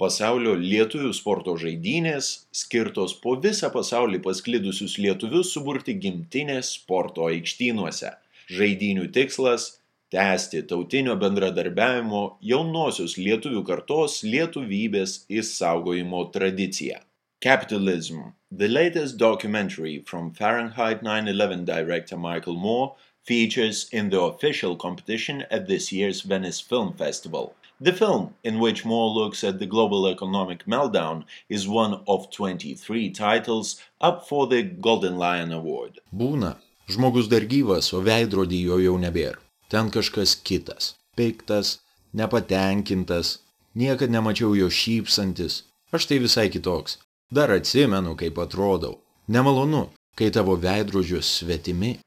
Pasaulio lietuvių sporto žaidynės, skirtos po visą pasaulį pasklidusius lietuvius suburti gimtinės sporto aikštynuose. Žaidynių tikslas – tęsti tautinio bendradarbiavimo jaunosios lietuvių kartos lietuvybės išsaugojimo tradiciją. Capitalism, the latest documentary from Fahrenheit 9/11 director Michael Moore, features in the official competition at this year's Venice Film Festival. The film, in which Moore looks at the global economic meltdown, is one of 23 titles up for the Golden Lion Award. Būna. Žmogus dar gyvas, o veidrodį jo jau nebėra. Ten kažkas kitas. Piktas, nepatenkintas. Niekad nemačiau jo šypsantis. Aš tai visai kitoks. Dar atsimenu, kaip atrodau. Nemalonu, kai tavo veidrodžius svetimi.